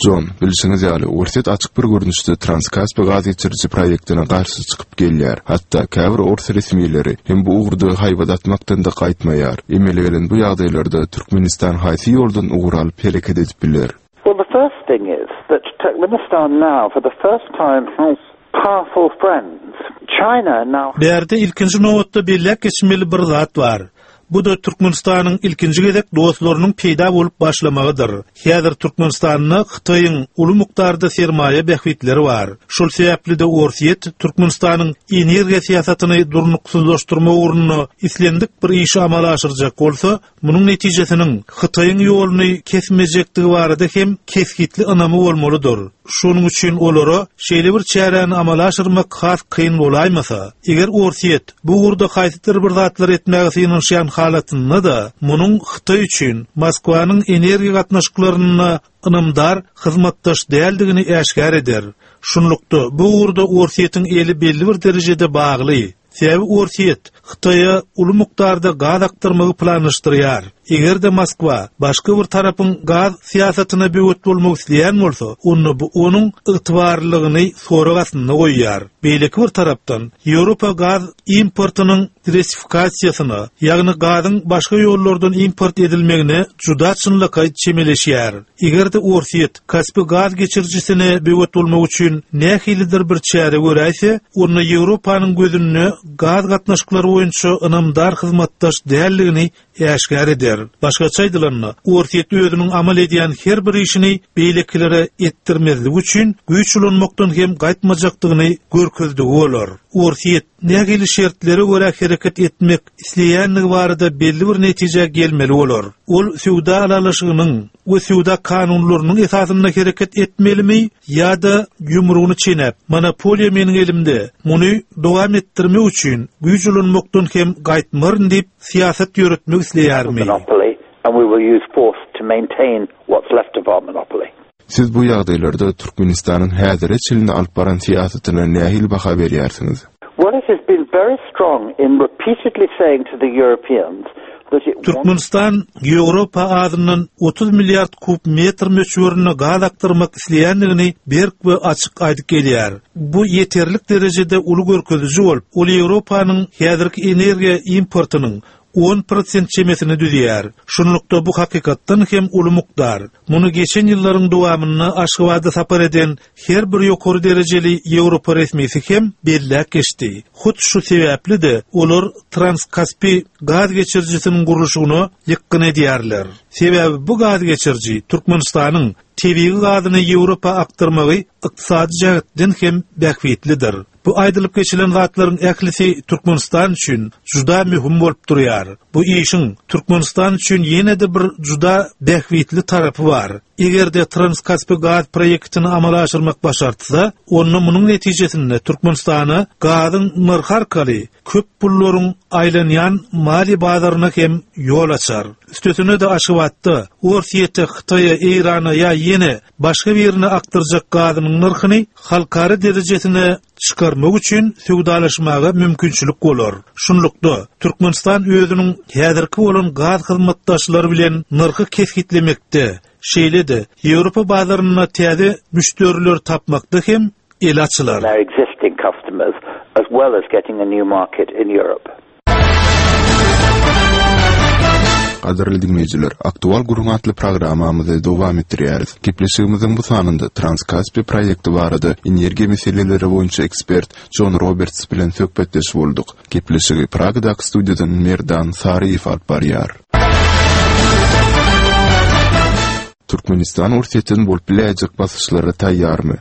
Jon, bilşiňiz ýaly, Orsýet açyk bir görnüşde Transkaspi gaz geçiriji proýektine garşy çykyp gelýär. Hatda käbir ors resmileri hem bu ugurda haýbat atmakdan-da gaýtmaýar. Emele gelen bu ýagdaýlarda Türkmenistan haýsy ýoldan ugur alyp hereket edip biler? Well, the first thing is that Turkmenistan now for the first time has powerful friends. China now. Bärde ilkinji nobatda belläp geçmeli bir zat bar. Bu-da Türkmenistanyň ilkinji gezek dostlarynyň peýda bolup başlamagydyr. Häzir Türkmenistanda Hytaýyň uly mukdarda sermaýa bähbitleri bar. Şol sebäpli-de Orsýet Türkmenistanyň energiýa syýasatyny durnuksyzlaşdyrmak ugrunda islendik bir işi amala aşyrjak bolsa, Munuň netijesiniň Hytaýyň ýoluny kesmejekdigi barada hem kesgitli ynamy bolmalydyr. Şonuň üçin olara şeýle bir çäräni amala aşyrmak has kyn bolaýmasa, eger Orsýet bu ugurda haýsydyr bir zatlar etmäge synanyşýan halatynda-da, munuň Hytaý üçin Moskwanyň energiýa gatnaşyklarynda ynamdar hyzmatdaş däldigini äşgär eder. Şunlukda, bu ugurda Orsýetiň eli belli bir derejede bagly. Sebäbi Orsýet Hytaýa uly mukdarda gaz akdyrmagy planlaşdyrýar. Eger-de Moskwa başga bir tarapyň gaz syýasatyna böwet bolmak isleýän bolsa, onda bu onuň ygtybarlylygyny sorag astynda goýýar. Beýleki bir tarapdan, Ýewropa gaz importynyň diwersifikasiýasyna, ýagny gazyň başga ýollardan import edilmegine juda çynlakaý çemeleşýär. Eger-de Orsýet Kaspi gaz geçirijisine böwet bolmak üçin nähilidir bir çäre göräýse, onda Ýewropanyň gözünde gaz gatnaşyklary boýunça ynamdar hyzmatdaş däldigini äşgär eder. Başgaça aýdylanda, Orsýet özüniň amal edýän her bir işini beýlekilere etdirmezlik üçin güýç ulanmakdan hem gaýtmajakdygyny görkezdigi bolar. Orsýet nähili şertlere görä hereket etmek isleýändigi barada belli bir netijä gelmeli bolar. Ol söwda ylalaşygynyň we söwda kanunlarynyň esasynda hereket etmelimi ýa-da ýumrugyny çenäp, monopoliýa meniň elimde, muny dowam etdirmek üçin güýç ulanmakdan hem gaýtmaryn diýip syýasat ýöretmek isleýärmi? Siz bu ýagdaýlarda Türkmenistanyň häzire çenli alyp baran syýasatyna nähili baha berýärsiňiz? Well it has been very strong in repeatedly saying to the Europeans that it wants. Türkmenistan Ýewropa azyndan 30 milliard kub metr möçberinde gaz akdyrmak isleýändigini berk we açyk aýdyp gelýär. Bu ýeterlik derejede uly görkeziji bolup, ol Ýewropanyň häzirki energiýa importynyň 10% çemesini düzýär. Şunlukda bu hakykatdan hem uly mukdar. Muny geçen ýyllaryň dowamynda Aşgabada sapar eden her bir ýokary derejeli ýewropa resmisi hem belläp geçdi. Hut şu sebäpli-de olar Transkaspi gaz geçirijisiniň gurluşygyna ýykgyn edýärler. Sebäbi bu gaz geçiriji Türkmenistanyň tebigy gazyny Ýewropa akdyrmagy ykdysady jähetden hem bähbitlidir. Bu aýdylyp geçilen zatlaryň ählisi Türkmenistan üçin juda möhüm bolup durýar. Bu işiň Türkmenistan üçin ýene-de bir juda bähbitli tarapy bar. Eger-de Transkaspi gaz proýektini amala aşyrmak başartsa, onda munuň netijesinde Türkmenistana gazyň nyrhy arkaly köp pullaryň aýlanýan maliýe bazaryna hem ýol açar. Üstesine-de Aşgabatda Orsýete, Hytaýa, Eýrana ýa ýene başga birine akdyrjak gazynyň nyrhyny halkara derejesine çykarmak üçin söwdalaşmaga mümkinçilik bolar. Şunlukda, Türkmenistan özüniň häzirki bolan gaz hyzmatdaşlary bilen nyrhy kesgitlemekde, şeýle-de Ýewropa bazarynda täze müşderileri tapmakda hem eli açylar. their existing customers as well as getting a new market in Europe. Gadyrly diňleýjiler, Aktual gürrüň atly programmamyzy dowam etdirýäris. Gepleşigimiziň bu sanynda Transkaspi proýekti barada energiýa meseleleri boýunça ekspert Jon Roberts bilen söhbetdeş bolduk. Gepleşigi Pragadaky studiýadan Merdan Saryýew alyp barýar. Türkmenistan Orsýetden bolup biläýjek basyşlara taýýarmy?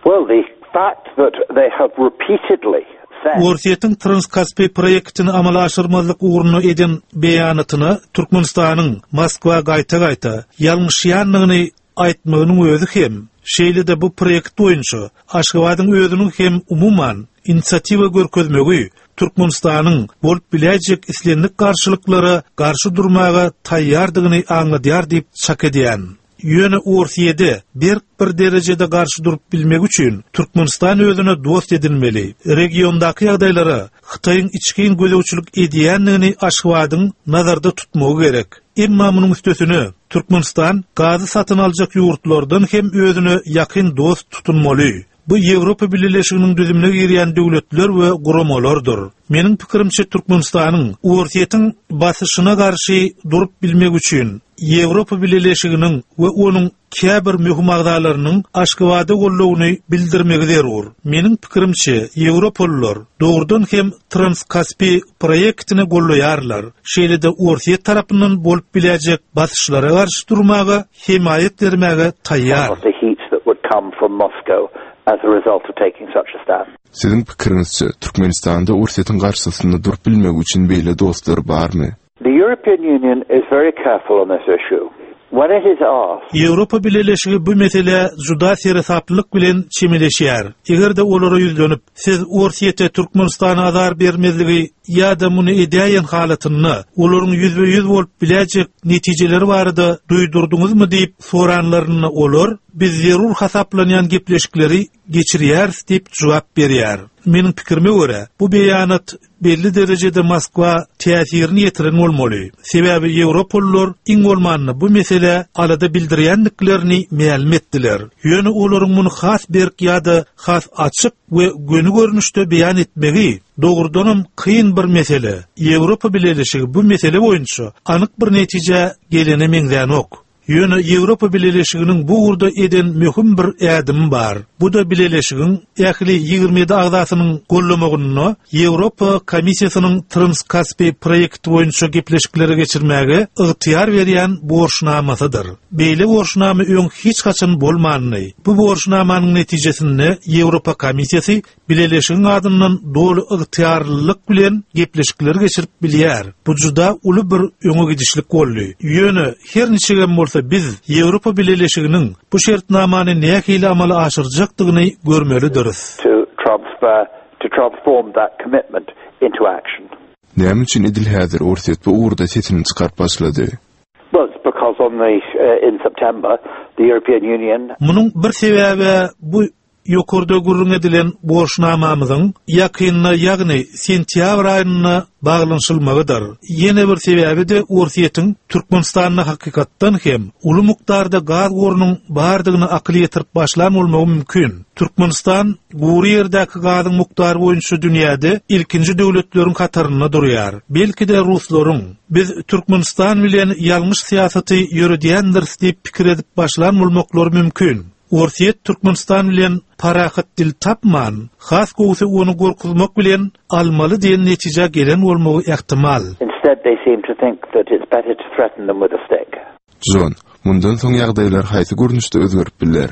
Well, the fact that they have repeatedly said. Orsýetiň Transkaspi proýektini amala aşyrmazlyk ugrunda eden beýanatyna Türkmenistanyň Moskwa gaýta-gaýta ýalňyşýandygyny aýtmagynyň özi hem, şeýle-de bu proýekt boýunça Aşgabadyň özüniň hem umuman inisiatiwa görkezmegi Türkmenistanyň bolup biläýjek islendik garşylyklara garşy durmaga taýýardygyny aňladýar diýip çak edýän. Ýöne Orsýede berk bir derejede garşy durup bilmegi üçin Türkmenistan özüne dost edinmeli. Regiondaky ýagdaýlara Hytaýyň içgin gözegçilik edýändigini Aşgabadyň nazarda tutmagy gerek. Emma munuň üstesine, Türkmenistan gazy satyn aljak ýurtlardan hem özüne ýakyn dost tutunmaly. Bu Ýewropa Bileleşiginiň düzümine girýän döwletler we guramalardyr. Meniň pikirimçe Türkmenistanyň Orsýetiň basyşyna garşy durup bilmegi üçin Ýewropa Bileleşiginiň we onuň käbir möhüm agzalarynyň Aşgabada goldawyny bildirmegi zerur. Meniň pikirimçe, ýewropalylar dogrudan hem Transkaspi proýektini goldaýarlar, şeýle-de Orsýet tarapyndan bolup biläýjek basyşlara garşy durmaga hemaýat bermäge taýýar. Siziň pikiriňizçe, Türkmenistanda Orsýetiň garşysynda durup bilmegi üçin beýle dostlar barmy? The European Union is very careful on this issue. When it is asked. Ýewropa Bileleşigi bu meselä juda seresaplylyk bilen çemeleşýär. Eger-de olara ýüzlenip, Siz Orsýete Türkmenistana azar bermezligi ýa-da muny edäýen halatynda olaryň ýüzbe-ýüz bolup biläýjek netijeleri barada duýdurdyňyzmy diýip soranlarynda olar, Biz zerur hasaplanýan gepleşikleri geçirýäris diýip jogap berýär. Meniň pikirime görä, bu beýanat belli derejede Moskwa täsirini ýetiren bolmaly. Sebäbi ýewropalylar iň bolmanda bu meselä alada bildirýändiklerini mälim etdiler. Ýöne olaryň muny has berk ýa-da has açyk we göni görnüşde beýan etmegi dogrudanam kyn bir mesele. Ýewropa Bileleşigi bu mesele boýunça anyk bir netijä gelene meňzänok. Ýöne Ýewropa Bileleşiginiň bu ugurda eden möhüm bir ädimi bar. Bu-da Bileleşigiň ähli 27 agzasynyň gollamagynda Ýewropa Komissiýasynyň Transkaspi proýekti boýunça gepleşikleri geçirmäge ygtyýar berýän borçnamasydyr. Beýle borçnama öň hiç haçan bolmandy. Bu borçnamanyň netijesinde Ýewropa Komissiýasy Bileleşigiň adyndan doly ygtyýarlylyk bilen gepleşikleri geçirip bilýär. Bu juda uly bir öňe gidişlik boldy. Ýöne, her niçigem bolsa biz Ýewropa Bileleşiginiň bu şertnamany nähili amala aşyrjakdygyny görmelidiris. To transfer to transform that commitment into action. Näme üçin edil häzir Orsýet bu ugurda sesini çykaryp başlady? Well, it's because on the in September the European Union. Munuň bir sebäbi bu Ýokarda gürrüň edilen borçnamamyzyň ýakynda, ýagny sentýabr aýynda baglanyşylmagydyr. Ýene bir sebäbi-de Orsýetiň Türkmenistanda hakykatdan hem uly mukdarda gaz gorunyň bardygyna akyl ýetirip başlan bolmagy mümkin. Türkmenistan gury ýerdäki gazyň mukdary boýunça dünýäde ilkinji döwletleriň hatarynda durýar. Belki-de ruslaryň, Biz Türkmenistan bilen ýalňyş syýasaty ýöredýändiris diýip pikir edip başlan bolmaklary mümkin. Orsýet Türkmenistan bilen parahat dil tapman, has gowusy ony gorkuzmak bilen almaly diýen netijä gelen bolmagy ähtimal. Instead they seem to think that it's better to threaten them with a stick. Jon, mundan soň ýagdaýlar haýsy görnüşde özgerip biler?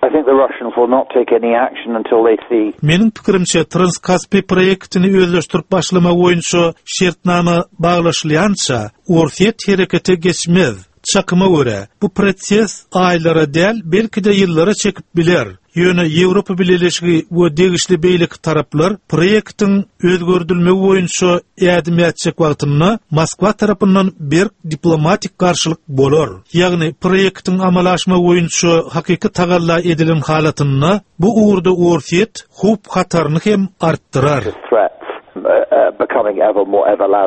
I think the Russians will not take any action until they see. Meniň pikirimçe, Transkaspi proýektini özleşdirip başlamak boýunça şertnama baglaşylýança, Orsýet herekete geçmez. Çakyma görä, bu proses aýlara däl, belki-de ýyllara çekip biler. Ýöne Ýewropa Bileleşigi we degişli beýleki taraplar proýektiň özgerdilmegi boýunça ädim ätjek wagtynda Moskwa tarapyndan berk diplomatik garşylyk bolar. Ýagny proýektiň amala aşmagy boýunça hakyky tagalla edilen halatynda bu ugurda Orsýet howp-hataryny hem artdyrar.